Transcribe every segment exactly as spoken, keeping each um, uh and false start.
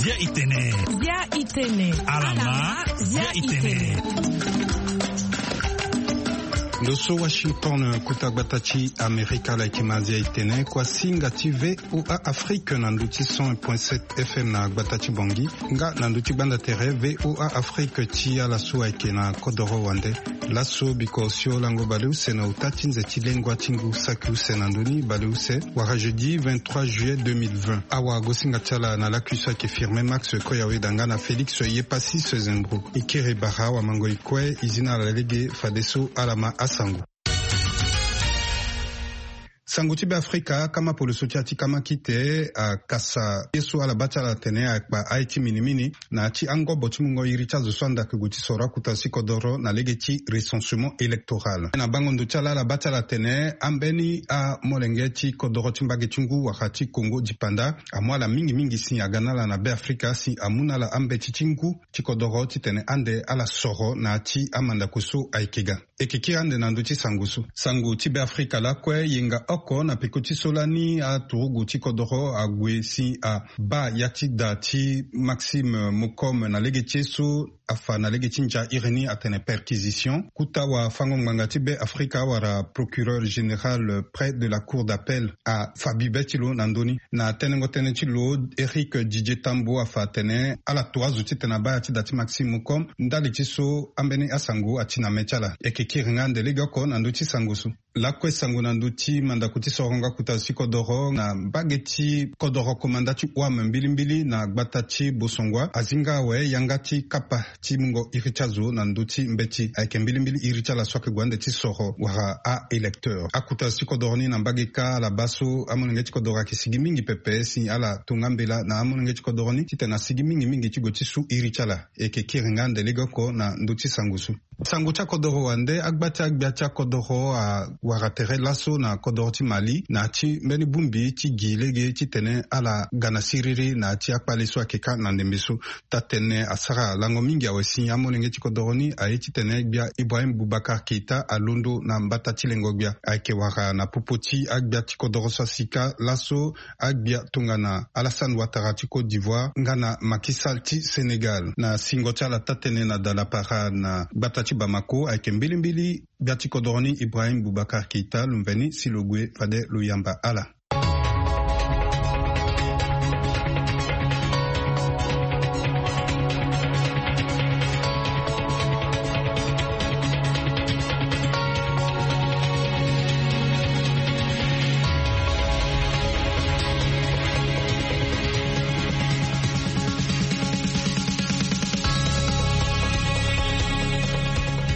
Zia itene. Zia itene. Alama. Zia itene. Ndo so Washington, kuta gbata ti Amerika, ala yeke ma zia itene kua singa ti VOA Afrique na ndo ti cent point sept FM na gbata ti Bangui, nga na ndo ti gbanda tere VOA Afrique ti ala so ayeke na kodoro wande. Laso biko osio lango baleuse na uta ti nze ti lengua ti ngu saki use na ndoni baleuse, wara jeudi vingt-trois juillet deux mille vingt. Awagosinga ti ala na lakui so ayeke Firmin Max Koyawe danga na Félix Yepassis Zembro. E kiri bara wamango e kue, e zi na ala lege fadeso ala ma asango. Sango ti Beafrika, kama poloso ti ya ti kama kite akasa ye so ala baa ti ala atene akpa aye ti minimini na ya ti angobo ti mungo iri ti azo so anda ake gue ti soro akuta ti kodoro na lege ti recensement électoral. Na bango ndo ti ala, ala baa ti ala atene ambeni amolenge ti kodoro ti mbage ti ngu wala ti Kongo dipanda amu ala mingi mingi si aga na ala na Beafrika si amu na ala ambeti ti ngu ti kodoro titene ande ala soro na ya ti amandako so ayeke ga. E yeke kiri ande na ndö ti sango so. Sango ti Beafrika lakue, yenga oko na peko ti so lani aturugu ti kodoro ague si abaa ya ti da ti Maxime Mocom na lege ti ye so afa na lege ti ndia iri ni atene perquisition. Kuta wafango-ngbanga ti Beafrika wala procureur général près de la cour d'appel afa bibe ti lo na ndö ni. Na tenengo tënë ti lo, Éric Didier Tambo afa atene ala to azo titene abaa ya ti da ti Maxime Mocom ndali ti so ambeni asango ati na me ti ala. E yeke kiri nga ande legeoko na ndö ti sango so. Lakue sango na ndö ti mandako ti sorongo akuta ti kodoro na mbage ti kodoro komanda ti O A M mbilimbili na gbata ti Bosongua azi nga awe yanga ti kapa ti mungo iri ti azo na ndö ti mbeti. Ayeke mbilimbili iri ti ala so ayeke gue ande ti soro wala a-électeur. Akuta ti kodoro ni na mbage kâ ala baa so amolenge ti kodoro ayeke sigi mingi pepe si ala to nga mbela na amolenge ti kodoro ni titene asigi mingi mingi ti gue ti su iri ti ala. E yeke kiri nga ande legeoko na ndö ti sango so. Sango ti akodoro wande, agba ti agbia ti akodoro awara tere laso na kodoro ti Mali na ya ti mbeni bongbi ti gi lege titene ala ga na siriri na ya ti akpale so ayeke kâ na ndembe so. Taa-tënë asara lango mingi awe si amolenge ti kodoro ni aye titene gbia Ibrahim Boubacar Keita alondo na mbata ti lengo-gbia. Ayeke wara na popo ti agbia ti kodoro so asi kâ laso, agbia tongana Alassane Ouattara ti Côte d'Ivoire nga na Macky Sall ti Sénégal. Na singo ti ala taa-tënë na dalapara na gbata ti Bamako, ayeke mbilimbili gbia ti kodoro ni Ibrahim Boubacar Keita lo mveni si lo gue fade lo yamba ala.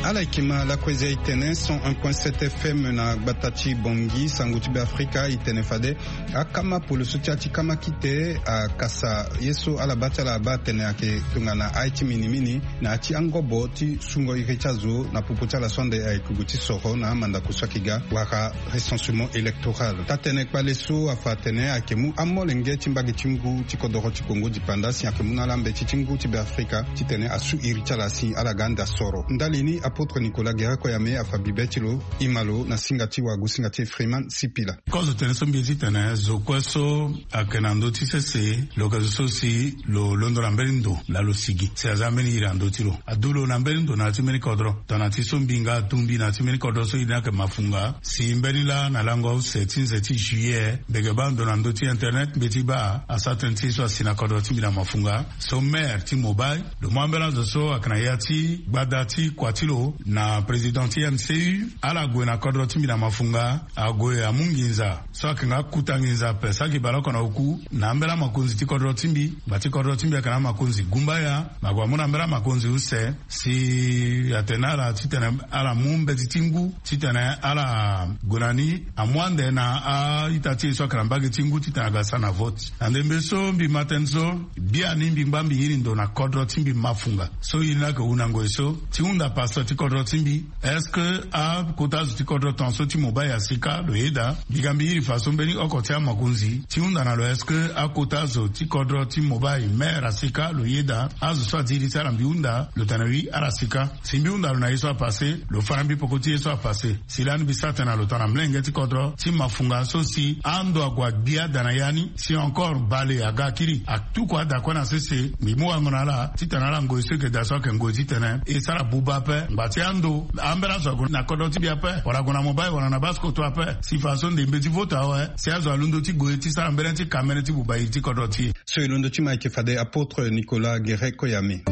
Ala yeke ma lakue zia itene cent un point sept FM na gbata ti Bangui. Sango ti Beafrika e tene fade akama poloso ti ya ti kama kite akasa ye so ala baa ti ala abaa atene ayeke tongana aye ti minimini na ya ti angobo ti sungo iri ti azo na popo ti ala so ande ayeke gue ti soro na amandako so ayeke ga wala recensement électoral. Taa-tënë kpale so afa atene ayeke mu amolenge ti mbage ti ngu ti kodoro ti Kongo dipanda si ayeke mu na ala mbeti ti ngu ti Beafrika titene asu iri ti ala si ala ga ande asoro. Ndali ni, Apôtre Nicolas Guéret Koyame afa bibe ti lo, e ma lo na singa ti wagosinga ti e Freeman Sipila. Kozo tene so mbi ye titene zo kue so ayeke na ndö ti sese, lo yeke zo so si lo londo na mbeni ndo laa lo sigi si aza mbeni iri na ndö ti lo. Adu lo na mbeni ndo na ya ti mbeni kodro. Tongana ti so mbi nga adu mbi na ya ti mbeni kodro so e ni ayeke Mafunga. Si mbeni laa na lango use ti nze ti juillet, mbi yeke baa ndo na ndö ti internet, mbeti baa asara tënë ti e so asi na kodro ti mbi na Mafunga. So maire ti Mobaye, lo mu ambeni azo so ayeke na ya ti gbada ti kua ti lo na président ti M C U, ala gue na kodro ti mbi na Mafunga, ague amu nginza so ayeke nga kuta nginza ape so ayeke bale oko na oku na ambeni amakonzi ti kodro ti mbi. Ngba ti kodro ti mbi ayeke na amakonzi gumbaya, ma gue amu na ambeni amakonzi use, si atene na ala titene ala mu mbeti ti ngu titene ala gue na ni amu ande na a-ita ti e so ayeke na mbage ti ngu titene aga sara na vote. Na ndembe so mbi ma tënë so, biani mbi ngba mbi iri ndo na kodro ti mbi Mafunga. So iri ni ayeke hundango e so ti hunda pasteur ti Kodro ti mbi, est-ce que akota zo ti kodro tongaso ti mobile asika lo yeda? Mbi ga mbi iri fa so mbeni oko ti amakonzi ti hunda na lo, est-ce que akota zo ti kodro ti mobile maire asika lo yeda? Azo so adi iri ti ala mbi hunda lo tene wi ala sika. Si mbi hunda lo na ye so apasse, lo fâ na mbi peko ti ye so apasse. Si lani mbi sara tene na lo tongana mlenge ti kodro ti mafunga so si ando ague agbia da na ya ni, si encore bale aga akiri atuku ada kue na sese. Mbi mu wango na ala titene ala ngoi so eke daa so ayeke ngoi titene e sara buba ape. Ngba ti ando ambeni azo ague na kodro ti mbi ape, wala ague na mobile wala na basse-kotto ape. Si fa so ndembe ti vote awe, si azo alondo ti gue ti sara mbeni ti kamene ti buba iri ti kodro ti e. So e londo ti ma eke fade apôtre Nicolas Guéret Koyame.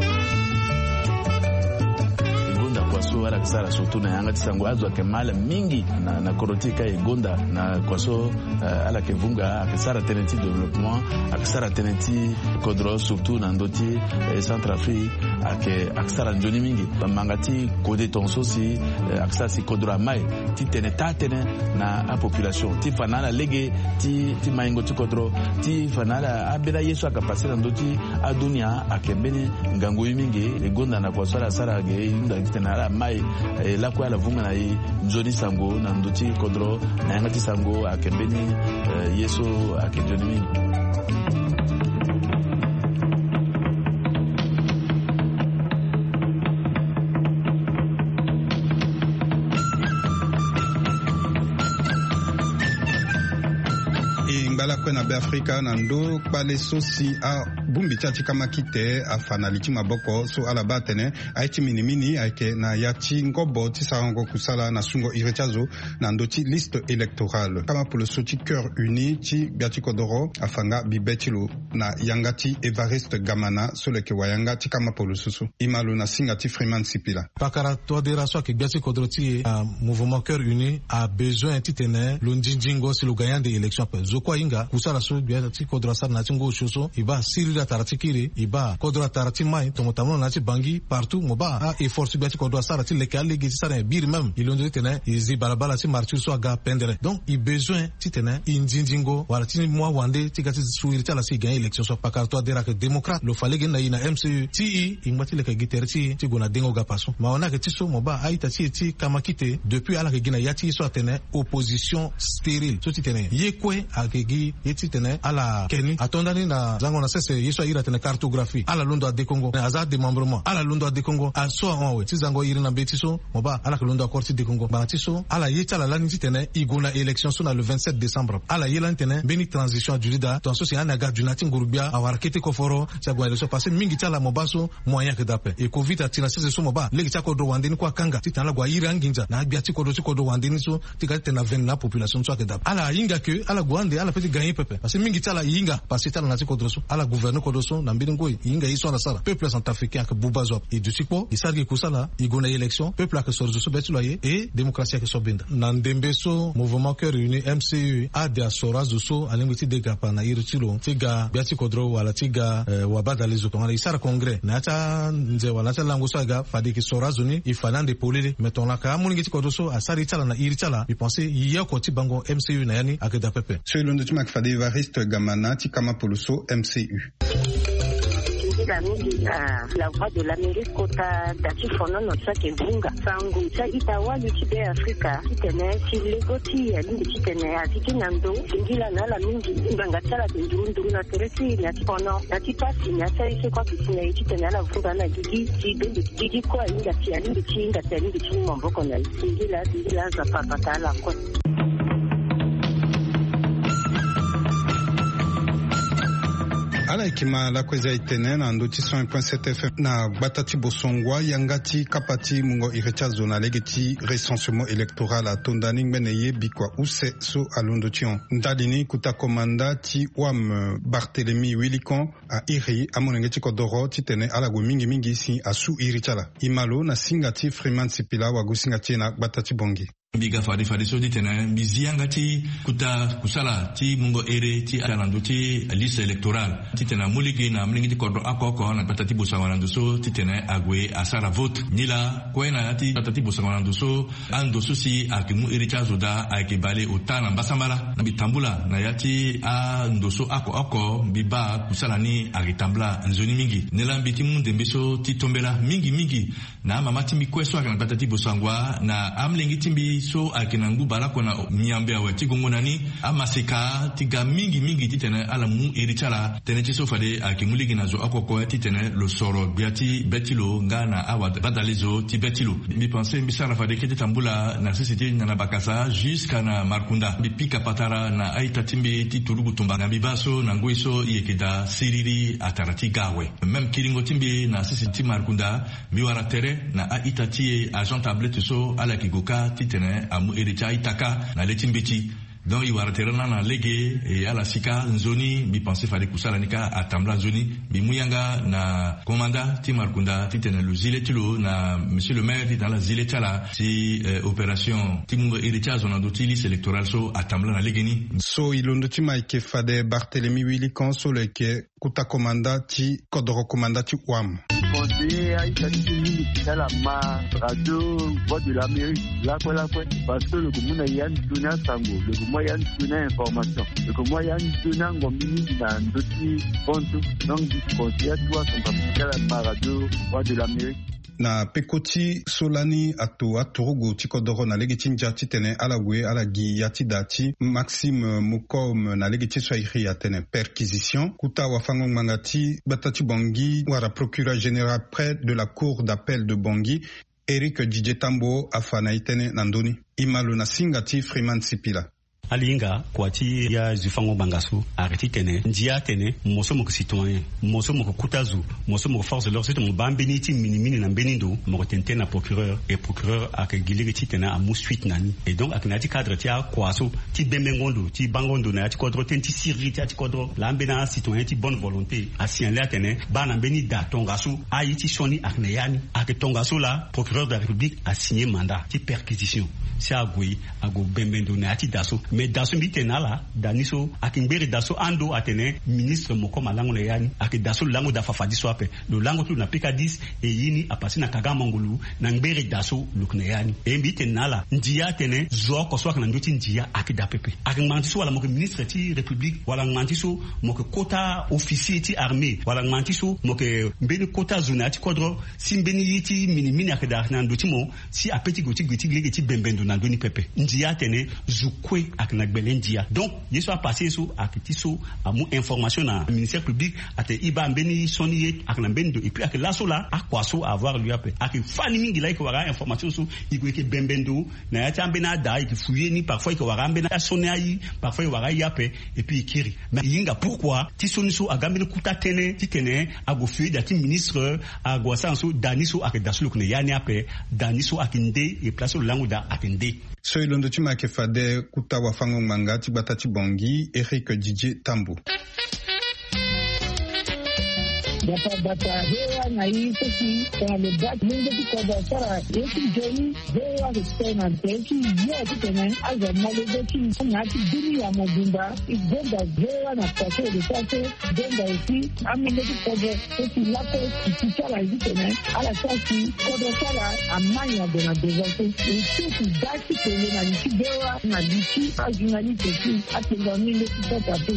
E gonda kua so ala yeke sara surtout na yanga ti sango. Azo ayeke mal mingi na, na kodro ti e ka e gonda na kua so, eh, ala yeke vunga, ayeke sara tënë ti développement, ayeke sara tënë ti kodro surtout na ndö ti, eh, Centrafrique, ayeke, ayeke sara nzoni mingi. Bamanga ti kode tongaso si, eh, ayeke sara si kodro amai ti tene taa tënë na apopulation ti fa na ala lege ti, ti maingo ti kodro, ti fa na ala ambeni aye so ayeke passe na ndö ti adunia ayeke mbeni ngangu ye mingi. E gonda na kua so ala sara ge e hunda titene ala mai, eh, lakue ala vunga na e nzoni sango na ndö ti kodro na yanga ti sango ayeke mbeni, eh, ye so ayeke nzoni mingi. E ngba lakue na Beafrika na ndö kpale so si abongbi ti ala ti kamakite afa na li ti maboko so ala baa atene aye ti minimini ayeke na ya ti ngobo ti sarango kusala na sungo iri ti azo na ndö ti liste électorale. Kamapolo so ti Cœur Uni ti gbia ti kodoro afa nga bibe ti lo na yanga ti Évariste Gamana so lo yeke wayanga ti kamapolo so so. E ma lo na singa ti Freeman Sipila. Pakara Touadéra so ayeke gbia ti kodro ti e, ah, Mouvement Cœur Uni abezoin titene lo nzinzingo si lo gagne ande élection ape. Zo kue ahinga kusala so gbia ti kodro asara na ya ti ngu osio so, e baa siriri atara ti kiri, e baa kodro atara ti mai, tongo tambula na ya ti Bangui, partout mo baa a-effort so gbia ti kodro asara ti leke alege ti sara nyen biri même. E londo titene e zi balabala ti martyre so aga pendere. Donc e bezoin titene e nzinzingo wala ti mu awande ti ga ti su iri ti ala si e gagne élection so. Pakara Touadéra ayeke démocrate, lo fa lege ni na e na M C E ti e, e ngba ti leke gi tere ti e ti gue na dengo gapa so. Mawa ni ayeke ti so mo baa a-ita ti e ti kamakite depuis ala yeke gi na ya ti e so atene opposition stérile so titene ye kue ayeke gi ye titene ala ke ni. Ato ndani na zango na sese ye so a iri atene cartographie, ala londo adekongo. Aza adémembrement, ala londo adekongo. Aso ahon awe ti zango iri na mbeti so mo baa ala yeke londo accord ti dekongo. Ngbanga ti so ala ye ti ala lani titene e gue na élection so na le vingt-sept décembre. Ala ye lani titene mbeni transition aduti daa, tongaso si ani aga duna ti nguru-gbia awara kete koforo si ague na élection. Parce que mingi ti ala mo baa so moyen ayeke daa ape. E covid ati na sese so mo baa lege ti akodro wande ni kue akanga titene ala gue airi anginza na agbia ti kodro ti kodro wande ni so ti ga titene avene na apopulation so ayeke daa ape. Ala hinga ke ala gue ande ala peut ti gagner pepe. Parce que mingi ti ala e hinga passé ti ala na ya ti kodro so. Ala gouverner kodro so na mbeni ngoi, e hinga ye so ala sara. Peuple centrafricain ayeke buba zo ape. E duti kpo, e sara gi kusala, e gue na élection, peuple ayeke soro zo so be ti lo aye, e démocratie ayeke so benda. Na ndembe so Mouvement Cœur Uni, M C U, ade asoro azo so alingbi ti de gapa na iri ti lo ti ga gbia ti kodro wala ti ga, eh, wabadale zo tongana e sara congrès na ya ti anze wala na ya ti alango so aga, fade e yeke soro azo ni, e fa ni ande polele. Mais tongana ka amolenge ti kodro so asara ye ti ala na iri ti ala, mbi pense ye oko ti bango M C U na ya ni ayeke daa pepe. So e londo ti ma ayeke fade Évariste Gamana ti kamapolo so M C U. Tongila mingi na La Voix de l'Amérique kota da ti fonono so ayeke vunga sango ti a-ita wali ti Beafrika titene si lego ti e alingbi titene azi ti na ndo. Tongila na ala mingi ngbanga ti ala ayeke nduru nduru na tere ti e na ya ti fono na ya ti pasi na ya ti aye so kue ayeke si na e titene ala vunga na gigi ti bende gigi kue ahinga si alingbi ti hinga si alingbi ti mu maboko na e. Tongila tongila Nzapa abata ala kue. Ala yeke ma lakue za e tene na ndö ti cent un point sept F M na gbata ti Bosongoa, yanga ti kapa ti mungo iri ti azo na lege ti recensement électoral ato ndani ngbene ye bikua use so alondo ti hon. Ndali ni kota komanda ti wam Barthélemy Wilikon a iri amolenge ti kodoro titene ala gue mingi mingi si asu iri ti ala. E ma lo na singa ti Freeman Sipila wagosinga ti e na gbata ti Bangui. Mbi ga fade fade so titene mbi zi yanga ti kuta kusala ti mungo ere ti ala na ndö ti liste électorale titene amu lege na amolenge ti kodro oko oko na gbata ti bosango na ndo so titene ague asara vote. Nilaa kue na ya ti gbata ti bosango na ndo so, ando so si ayeke mu ere ti azo daa ayeke bale ota na mbasambala. Na mbi tambula na ya ti ando so oko oko mbi baa kusala ni ayeke tambula nzoni mingi. Nilaa mbi ti mu ndembe so ti tombela mingi mingi na amama ti mbi kue so ayeke na gbata ti bosango na amolenge ti mbi so ayeke na ngu baleoko na miambe awe ti gongo na ni, amaseka ti ga mingi mingi titene ala mu iri ti ala. Tënë ti so fade ayeke mu lege na zo oko oko titene lo soro gbia ti be ti lo nga na awabadalezo ti be ti lo. Mbi pense mbi sara fade kete tambula na sese ti nyanabakasa jusqu'à na markunda. Mbi pika patara na a-ita ti mbi ti turugu tumba na mbi baa so na ngoi so e yeke daa siriri atara ti ga awe. Même kiringo ti mbi na sese ti markunda, mbi wara tere na a-ita ti e agent tablette so ala yeke gue kâ titene amu iri ti a-ita kâ na le ti mbeti. Donc e wara tere lani na lege e ala si kâ nzoni. Mbi pense fade kusala ni kâ atambula nzoni. Mbi mu yanga na komanda ti markunda titene lo zi le ti lo na monsieur le maire titene ala zi le ti ala si opération ti mungo iri ti azo na ndö ti liste électorale so atambula na legeni. So e londo ti ma eke fade barthélémy wili kan so lo yeke kuta komanda ti kodoro komanda ti wam. Conseiller a-ita ti ti mingi ti ala ma radio voix de l'amérique lakue lakue. Parce que lo yeke mu na ya ni sioni asango, lo yeke mu ya ni sioni a-information, lo yeke mu ya ni sioni angombi mingi na ndö ti kontu. Donc mbi conseiller atuwa santamu ti ala ma radio voix de l'amérique. Na peko ti so lani ato aturugu ti kodoro na lege ti ndia titene ala gue ala gi ya ti da ti maxime mocom na lege ti so airi atene perquisition kuta wafango-ngbanga ti gbata ti bongi wala procureur général près de la cour d'appel de bongi, éric didier tambo afa na e tënë na ndö ni. E ma lo na singa ti freeman sipila. Ala hinga kua ti ya zo fango ngbanga so arrêté titene ndia atene mo so mo yeke citoyen, mo so mo yeke kuta zo, mo so mo yeke force de l'ordre so titene mo baa mbeni ti minimini na mbeni ndo mo yeke tene tënë na procureur. Et procureur ayeke gi lege titene amu suite na ni. Et donc ayeke na ya ti cadre ti akua so ti bembengo ndo ti bango ndo na ya ti kodro tënë ti siriri ti ya ti kodro laa mbeni acitoyen ti bonne volonté asignale atene baa na mbeni da tongaso aye ti sioni ayeke na ya ni. Ayeke tongaso laa procureur de la république asigné mandat ti perquisition si ague ague bembe ndo na ya ti da so. Mais da so mbi tene na ala da ni so ayeke ngbere da so ando atene ministre moko ma lango na ya ni. Ayeke da so lo lango da fafadi so ape. Lo lango ti lo na peka dix e ye ni apase na kaga mangolu na ngbere da so lo yeke na ya ni. E mbi tene na ala ndia atene zo oko so ayeke na ndö ti ndia ayeke da pepe. Ayeke ngbanga ti so wala mo yeke ministre ti république wala ngbanga ti so mo yeke kota officier ti armée wala ngbanga ti so mo yeke mbeni kota zo na ya ti kodro si mbeni ye ti minimini ayeke da ayeke na ndo ti mo si ape ti gue ti gue ti lege ti bembe ndo na ndö ni pepe. Ndia atene zo kue ayeke na gbele ndia. Donc ye so apase ye so ayeke ti so amu information na ministère public atene e baa mbeni sioni ye ayeke na mbeni ndo. Et puis ayeke laso laa akua so avoir lieu ape. Ayeke fani mingi laa e yeke wara a-information so e gue e yeke bembe ndo na ya ti ambeni ada e yeke fouiller ni. Parfois e yeke wara ambeni asioni aye, parfois e wara aye ape. Et puis e kiri. Mais e hinga pourquoi ti sioni so aga mbeni kuta tënë titene ague fouiller da ti ministre ague asara so da ni so ayeke da so lo yeke na ya ni ape. Da ni so ayeke nde. E place so lo lango da ayeke nde. So e londo ti ma ayeke fade kuta wafango-ngbanga ti gbata ti bongi éric didier tambo. Bata bata hewa na i so si tongana lo baa ti mungo ti kodro asara ye ti nzoni. Hewa respect na nte ti yo titene azo amolenge ti na ya ti dunia mobimba. E gonda hewa na pase e lo sara so. Gonda aussi amolenge ti kodro so si lakue ti ti ti ala ye titene ala sara si kodro ti ala amai ague na devant so. E so si da ti tene na li ti hewa na li ti ajournaliste aussi. Atene amolenge ti kota pe.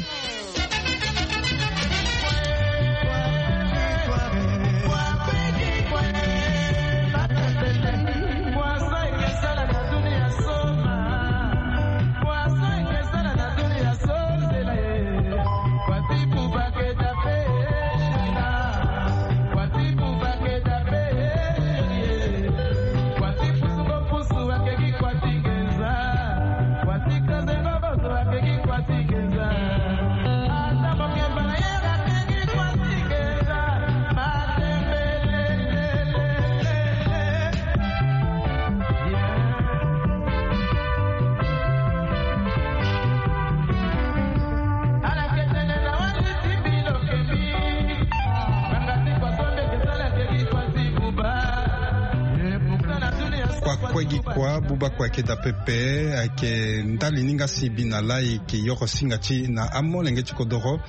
Kue gi kua buba kue ayeke daa pepe, ayeke ndali ni nga si e bi na laa e yeke yoro singa ti e na amolenge ti kodoro,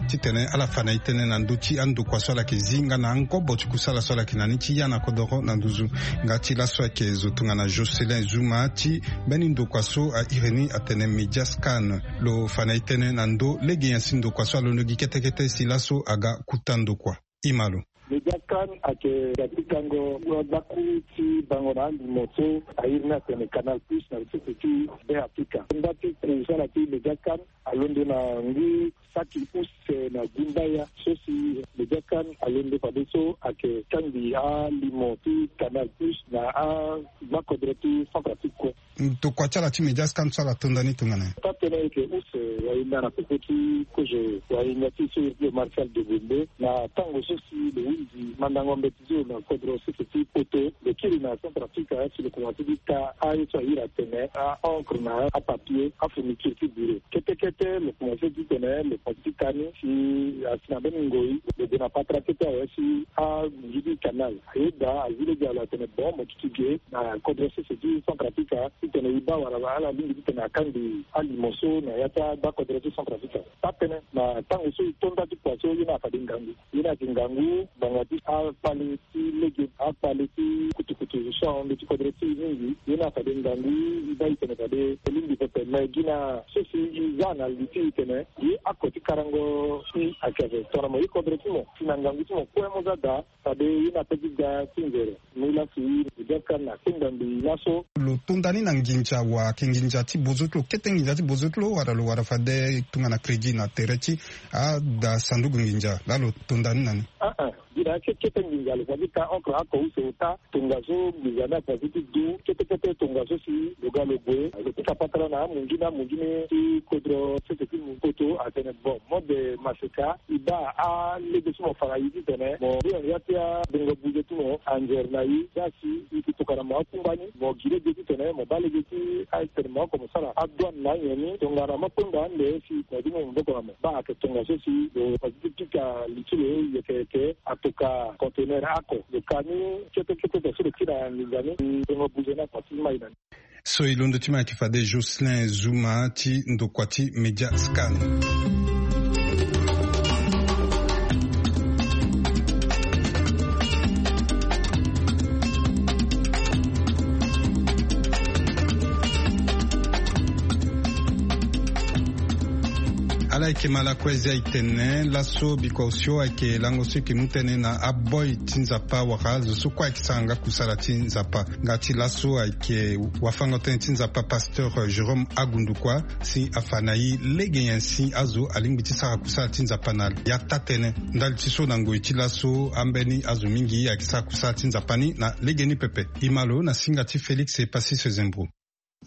titene ala fa na e tënë na ndö ti andokua so ala yeke zi nga na angobo ti kusala so ala yeke na ni ti ya na kodoro na nduzu. Nga ti laso ayeke zo tongana Jocelyn Zuma ti mbeni ndokua so a iri ni atene Mediascan. Lo fa na e tënë na ndö lege nyen si ndokua so alondo gi kete kete si laso aga kuta ndokua. Imalo. Mediascan ayeke ga ti gango gbakuru ti bango na alimo so a iri ni atene Canal Plus na lisese ti Be Afrika. Nda ti kusala ti Mediascan alondo na ngu saki use na gumbaya so si Mediascan alondo fadeso ayeke kangbi alimo ti Canal Plus na agbakodro ti Centrafrique kue. Ndokua ti ala ti Mediascan so ala tonda ni tongana nyen? Taa tënë ayeke use wahinda na popo ti kozo wahinda ti so iri ti lo Martial Degonde na tango so si lo hunzi mandango mbeti ti lo na kodro sese ti Poto, lo kiri na Centrafrique si lo komanse ti ka aye so a iri atene a-encre na apapier, afurniture ti bureau. Kete kete lo komanse titene lo komanse ti ka ni si asi na mbeni ngoi lo gue na patara kete awe si agunzu ti canal. Ayeda azi lege na lo atene bon mo duti ge na kodro sese ti Centrafrique titene e baa wala ala lingbi titene akangbi alimo so na ya ti agbakodro ti Centrafrique. Taa tënë na tango so e to nda ti kua so ye ni afade ngangu. Ye ni ayeke ngangu ngbanga ti akpale ti lege, akpale ti kutukutu so ahon ndö ti kodro ti e mingi. Ye ni afade ngangu e baa e tene fade e lingbi pepe. Me gi na so si e za na li ti e tene ye ako ti karango si ayeke ape tongana mo ye kodro ti mo si na ngangu ti mo kue mo za daa. Fade ye ni ape ti ga ti nzere. Mu lasi Mediascan akenda mbi laso. Lo tonda ni na nginza wa ayeke nginza ti bozo ti lo, kete nginza ti bozo ti lo, wala lo wara fade tongana crédit na tere ti ada sanduku nginza laa lo tonda ni na ni? Aa, gi na ya ti kete nginza lo fa ti ka encre oko use ota. Tongaso nginza ni afa ti du kete kete tongaso si lo ga lo gue lo pika patara na amunzu ni, amunzu ni ti kodro sese ti poto atene bon, mode maseka e baa alege so mo fa na e titene mo ri na ya ti abongo buze ti mo anzere na e. Za si e yeke tokana mo akungba ni, mo gi lege titene mo baa lege ti atene mo oko mo sara adouane na anyen ni. Tongana mo kpengba ande si mo du mo maboko na mo. Baa ayeke tongaso si lo fa ti pika li ti lo yeke yeke atoka conteneur oko. Lo ka ni kete kete so lo kiri na nginza ni, bongo buze ni akua ti mai na ni. So e londo ti ma ayeke fade Jocelyn Zuma ti ndokua ti Mediascan. Ala yeke ma lakue zia e tene laso bikua osio ayeke lango so e yeke mu tënë na aboi ti Nzapa wala azo so kue ayeke sara nga kusala ti Nzapa. Nga ti laso ayeke wafango-tënë ti Nzapa pasteur Jérôme Agundukua si afa na e lege nyen si azo alingbi ti sara kusala ti Nzapa na ya taa-tënë. Ndali ti so na ngoi ti laso ambeni azo mingi ayeke sara kusala ti Nzapa ni na legeni pepe. E ma lo na singa ti Félix Epasis Zembro.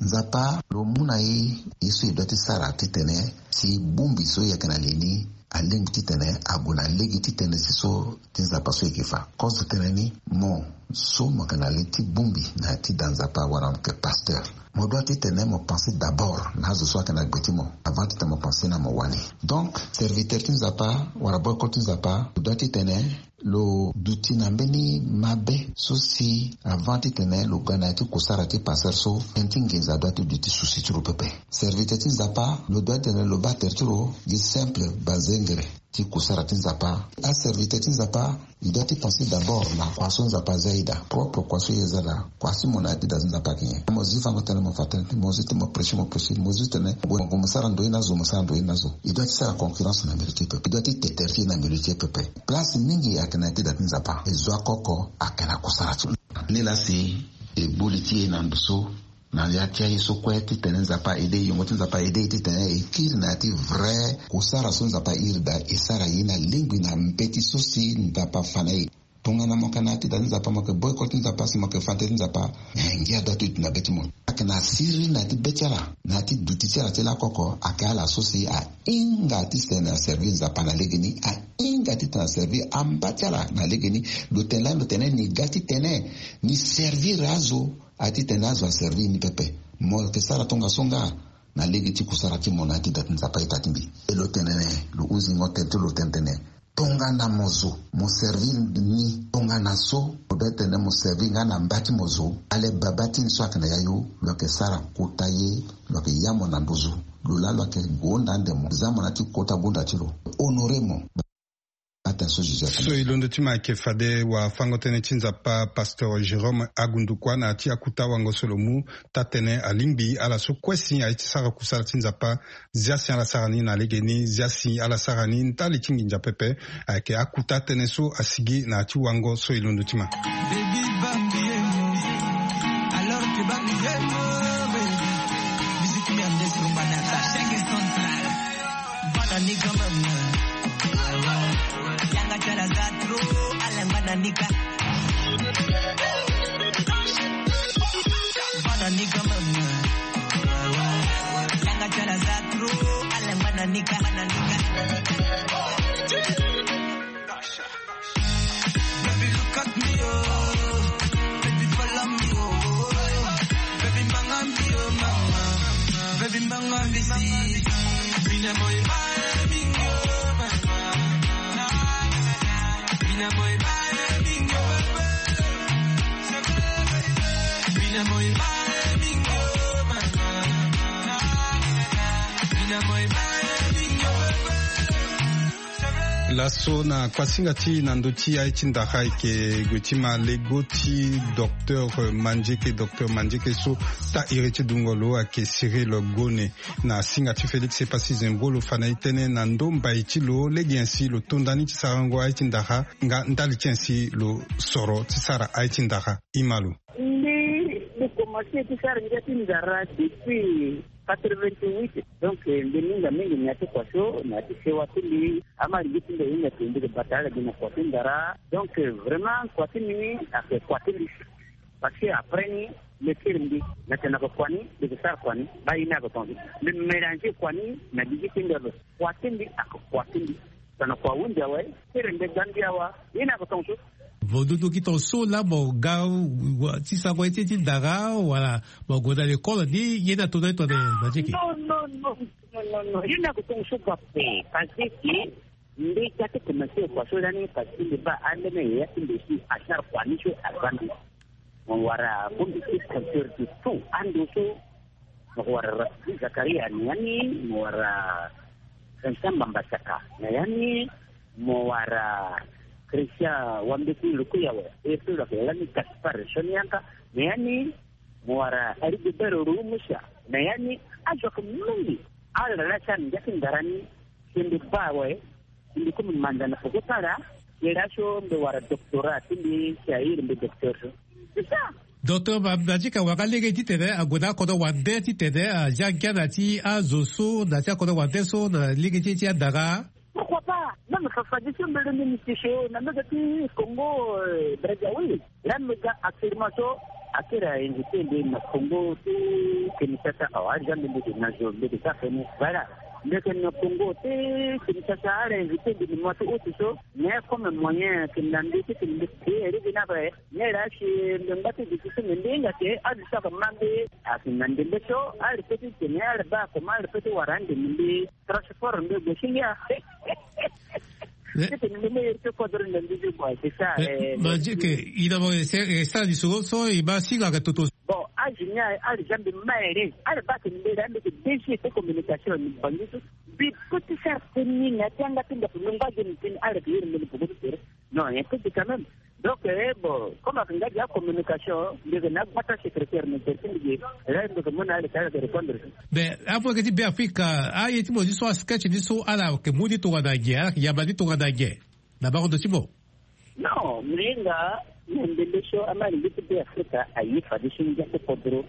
Nzapa lo mu na e ye so e doit ti sara titene si bongbi so e yeke na li ni alingbi titene ague na lege ti tënë si so ti Nzapa so e yeke fa. Kozo tënë ni, mo so mo yeke na li ti bongbi na ya ti da Nzapa wala mo yeke pasteur, mo doit titene mo pense d'abord na azo so ayeke na gbe ti mo avant titene mo pense na mo wani. Donc serviteur ti Nzapa wala boycott ti Nzapa, mo doit titene lo duti na mbeni mabe so si avant titene lo ga na ya ti kusara ti pasteur so, tënë ti nginza doit ti duti susi ti lo pepe. Serviteur ti Nzapa lo doit titene lo baa tere ti lo gi simple banzengere ti kusara ti Nzapa. Aserviteur ti Nzapa, e doit ti pense d'abord na kua so Nzapa aza e daa, propre kua so e za daa, kua si mo na ya ti da ti Nzapa ayeke nyen. Mo zi fango tënë mo fa tënë, mo zi ti mo prêcher mo prêcher, mo zi titene mo gue mo sara ndoye na azo, mo sara ndoye na azo. E doit ti sara concurrence na milieu ti e pepe, e doit ti te tere ti e na milieu ti e pepe. Place mingi ayeke na ya ti da ti Nzapa, e zo oko oko ayeke na kusara ti lo. Nilaa si e gbu li ti e na ndo so na ya ti aye so kue titene Nzapa aide e, yongo ti Nzapa aide e titene e kiri na ya ti vrai kusara so Nzapa airi daa, e sara ye na lingbi na mbeti so si Nzapa afa na e. Tongana mo yeke na ya ti da ti Nzapa, mo yeke boycott ti Nzapa, si mo yeke fa tere ti Nzapa, eh, ngia adoit ti duti na be ti mo. Ayeke na siriri na ya ti be ti ala, na ya ti duti ti ala ti lakoko, ayeke ala so si ahinga titene aservi Nzapa na legeni, ahinga titene aservi amba ti ala na legeni. Lo tene lani lo tene ni ga titene ni servir azo, a titene azo aservi ni pepe. Mo yeke sara tongaso nga na lege ti kusara ti mo na ya ti da ti Nzapa ita ti mbi. E lo tene ni, lo huzingo tene ti lo tene tene, Tongana mo zo mo servir ni tongana so mo be tene mo servir nga na mba ti mo zo. Ale baba ti ni so ayeke na yayu lo yeke sara kota ye. Lo yeke ya mo na nduzu. Lo laa lo yeke gonda ande mo za mo na ya ti kota gonda ti lo. Honore mo. Ata so joseph so e londo ti ma ayeke fade wafango-tënë ti nzapa pasteur jérôme agundukua na ya ti akuta wango so lo mu. Taa-tënë alingbi ala so kue si aye ti sara kusala ti nzapa. Zia si ala sara ni na legeni zia si ala sara ni ndali ti nginza pepe. Ayeke akuta tënë so asigi na ya ti wango so e londo ti ma. Laso na kuasinga ti na ndö ti aye ti ndara ayeke gue ti ma lego ti docteur mandieke docteur mandieke so taa iri ti dungo lo ayeke cyril gone. Na singa ti félix epassi zembo lo fa na e tënë na ndö mbai ti lo lege nyen si lo to ndani ti sarango aye ti ndara nga ndali ti nyen si lo soro ti sara aye ti ndara. Ima lo. Mbi mbi komanse ti sara ngia ti ndara depuis quatre-vingt-huit. Donc mbi minga mingi na ya ti kua so na ya ti sewa ti mbi ama ligi ti mbi ahinga ti mbi ke bata ala gi na kua ti ndara. Donc vraiment kua ti mbi ni ayeke kua ti mbi. Parce que après ni mbi kiri mbi na tena ko kua ni mbi ke sara kua ni. Ba ye ni ayeke tonga mbi mélange kua ni na ligi ti mbi abe. Kua ti mbi ayeke kua ti mbi. Tana kua hundi awe. Kiri mbi gambia wa ye ni ayeke tonga so. Vo dudu gi tonga so laa mo ga ti sango ye ti ti ndara wala mo gue na lekole ni ye ni ato na ye tongana mandieke. Non non non non non non ye ni ayeke tonga so kua pe. Parce que mbi ga ti commencer kua so lani parce que mbi baa ambeni yaya ti mbi si asara kua ni so aza mbi. Mo wara bongbi ti compteur de tout ando so. Mo ko wara rasidi zakaria na ya ni. Mo wara vincent mbambasaka na ya ni. Mo wara christian wambeti lukuyawe. E pe lo yeke lani gaspard sonianka na ya ni. Mo wara arigobert rumusia na ya ni. Azo yeke mingi. Ala laa ti ala na ngia ti ndara ni. Si mbi baa awe. Mbi komi manda na poko tara. Ye laa so mbi wara doctorat ti mbi si airi mbi docteur so. C'est ça. Docteur ma- matika wanga lege titene ague na akodro wande titene azia ngia na ti azo so na ti akodro wande so na lege ti ti andara. Pourquoi pas? Même fafadi so mbi lenge ni ti so na mega ti congo. Brazawi. Laa mbi ga actuellement so akiri ainvite mbi na congo ti kinshasa awa aza mbi mbi ke na zo mbi ke sara feni. Voilà. Mbi ke na congo ti kinshasa ala invite mbi na mois ti août so. Mais comme moyen ke na mbi ti ke na mbi ke eri gi na ape. Mais laa si mbi ngba ti duti so mbi mbi hinga ke azo so ake ma mbi ake na ndembe so. Ala pe ti tene ala baa comment ala pe ti wara ande mbi mbi transport mbi gue si ngia. Titene mbi mbi iri ti kodro na mbi mbi gue c'est ça. Mandieke. Ina mo e sara lisoro so e ma singa ake toto. Bon azo ni aye ala za mbi ma ere ala baa tene mbi laa mbi ke déjouer ti communication na mbi bangi so. Mbi pe ti sara teni na ya ti yanga ti mbi ape mbi ngba gi na teni ala ke iri mbi na poko ti tere. Non nyen pe gi quand même. Donc eh bon comme ake nga gi acommunication mbi yeke na agbata secrétaire na tere ti mbi gi. Laa mbi yeke mu na ala ti ala yeke répondre. Mais amu yeke ti be afrika aye ti mo ni so asketch ni so ala yeke mu ni tongana nyen ala yeke yamba ni tongana nyen? Na bango ndo ti mo. Non mbi hinga na ndembe so ama lingbi ti be afrika aye fadeso ngia ti kodro.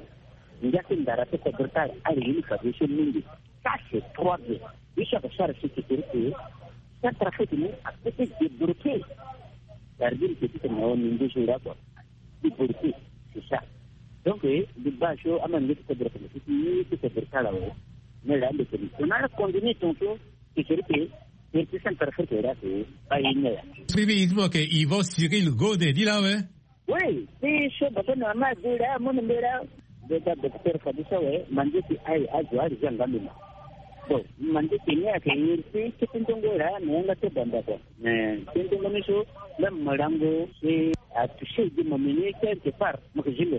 Ngia ti ndara ti kodro ti ala ala ye ni fadeso mingi. Ça c'est trois bien. Ye so ayeke sara sécurité. Centrafrique ni ape ti débloquer. Gardien petit na o ni nduzu nga kua. Ti borite c'est ça. Donc mbi baa so ama nge ti kodro kama ti ti ti kodro ti ala awe. Mais laa mbi tene tongana ala continue tongaso. Ti seri ke. Ti ti centrafrique laa ke. Ba ye ni aya. Sirili i ti mo yeke yvan cyril gode ni laa awe. Oui ti so baba na mama adu laa amu na mbi laa. Mbi ga docteur fadi so awe. Manze ti aye azo ala zi anga mbi ma. Bon, mandieke ni ayeke ni ti kete nzongo la na yanga ti banda kua. Mais kete nzongo ni so, même malango e atouché gi momeni quelque part, mo ke zilo.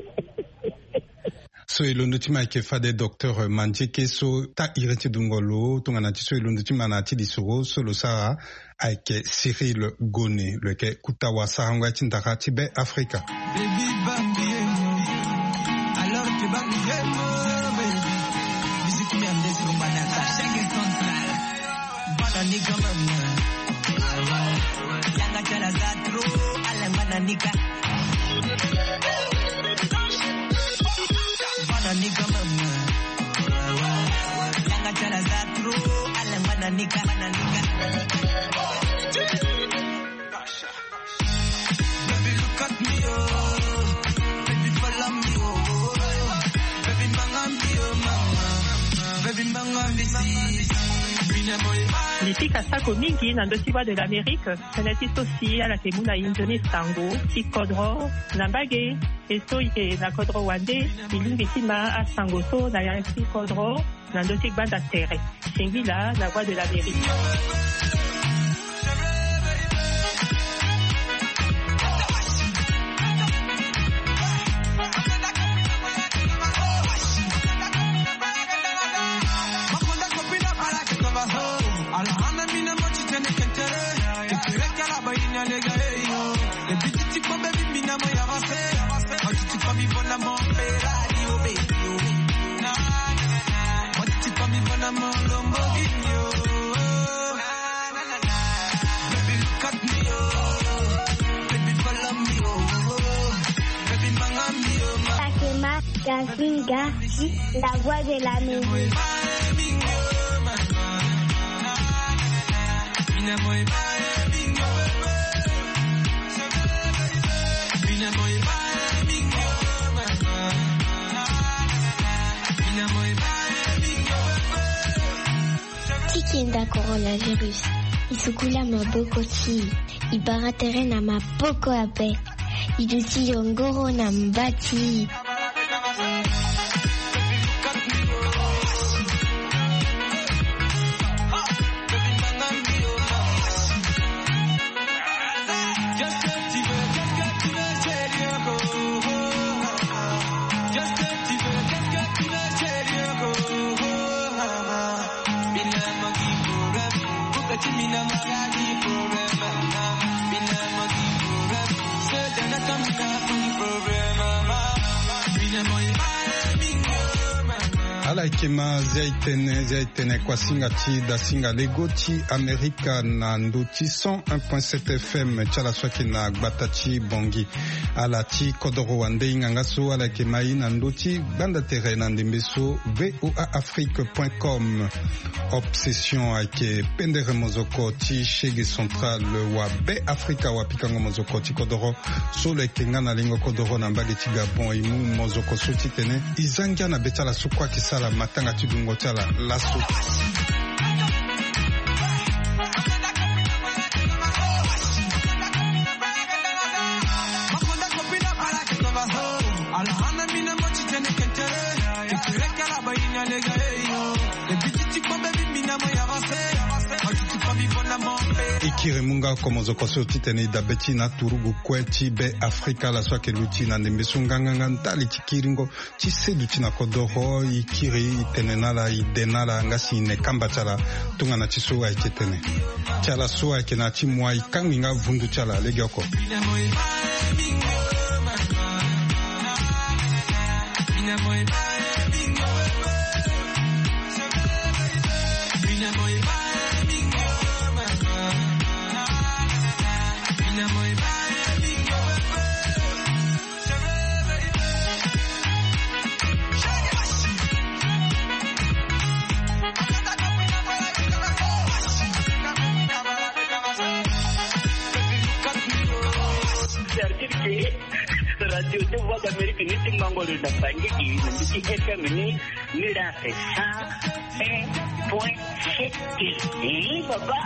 So e londo ti ma ayeke fade docteur Mandieke so taa iri ti dungo lo tongana ti so e londo ti ma na ya ti lisoro so lo sara ayeke Cyril Gone, lo yeke kuta wasarango ya ti ndara ti Be Afrika. Baby, bambi emo. Alors que bambi emo, baby. Musique merde, c'est bon, banana. Chaque central. Bana ni quand même. Yanga chala za trop, ala bana ni ka. Bana ni quand même. Yanga chala za trop, ala bana ni ka, bana ni ka. Baby, look at me, oh. Baby, follow me, oh. Baby, manga me, oh, mama. Baby, manga me, see. Bina boy, bye. Li pika sako mingi na ndö ti Voix de l'Amérique, tënë ti so si ala yeke mu na inzo ni sango ti kodro na mbage, e so e yeke na kodro wande, e lingbi ti ma asango so na ya ti kodro. Na ndö ti gbanda tere. Singila na Voix de l'Amérique. Sakema Gasinga, la Voix de l'Amérique. Ti kenda coronavirus, e sukula maboko ti e, bara tere na maboko ape. E duti yongoro na mba ti e. Ala yeke ma zia e tene, zia e tene kuasinga ti dasinga lego ti Amerika na ndö ti cent un point sept F M ti ala so ayeke na gbata ti Bangui. Ala ti kodoro wande hinga nga so ala yeke ma e na ndö ti gbanda tere na ndembe so V O A Afrique point com. Obsession ayeke pendere mozoko ti shege central wa Be Afrika, wa pikango mozoko ti kodoro so lo yeke nga na lingo kodoro na mbage ti Gabon. E mu mozoko so titene e za ngia na be ti ala so kue ayeke sara matanga ti dungo ti ala laso. E kiri mu nga oko mozoko so titene e dabe ti e na aturugu kue ti Be Afrika, ala so ayeke luti na ndembe so nganganga ndali ti kiringo ti seduti na kodoro. E kiri, e tene na ala, e de na ala, nga si e ne kamba ti ala tongana ti so ayeke tene. Ti ala so ayeke na ya ti moi, e kangbi nga vundu ti ala legeoko. C'est-à-dire que radio ti Voix d'Amérique ni ti mango lo na Bangui, na mbi ti F M ni, ni la fait ça. Un point sept. Eh, papa.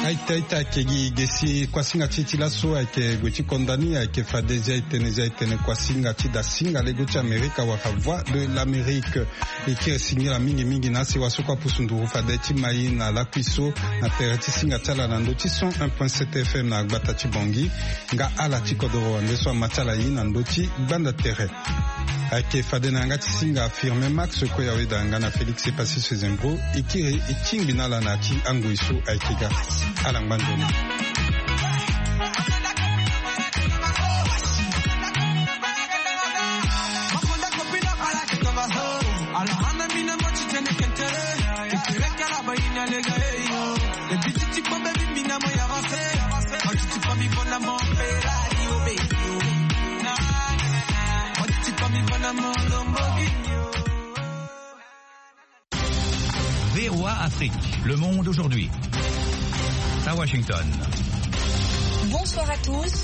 Aita aita ayeke gi ge si kuasinga ti e ti laso ayeke gue ti konda ni, ayeke fade zia etene zia etene kuasinga ti dasinga lego ti Amerika wala Voix de l'Amérique. E kiri singila mingi mingi na asi waso kue apusu nduru fade ti mai na lakui so na tere ti singa ti ala na ndö ti cent un point sept F M na gbata ti Bangui. Nga ala ti kodoro ande so ama ti ala ye na ndö ti gbanda tere. Ayeke fade na yanga ti singa Firmin Max, Koya Weda nga na Félix Epassis Ezengo. E kiri e tingbi na ala na ya ti angoi so ayeke ga. Ala ngba nzoni. V O A Afrique, le monde aujourd'hui. À Washington. Bonsoir à tous.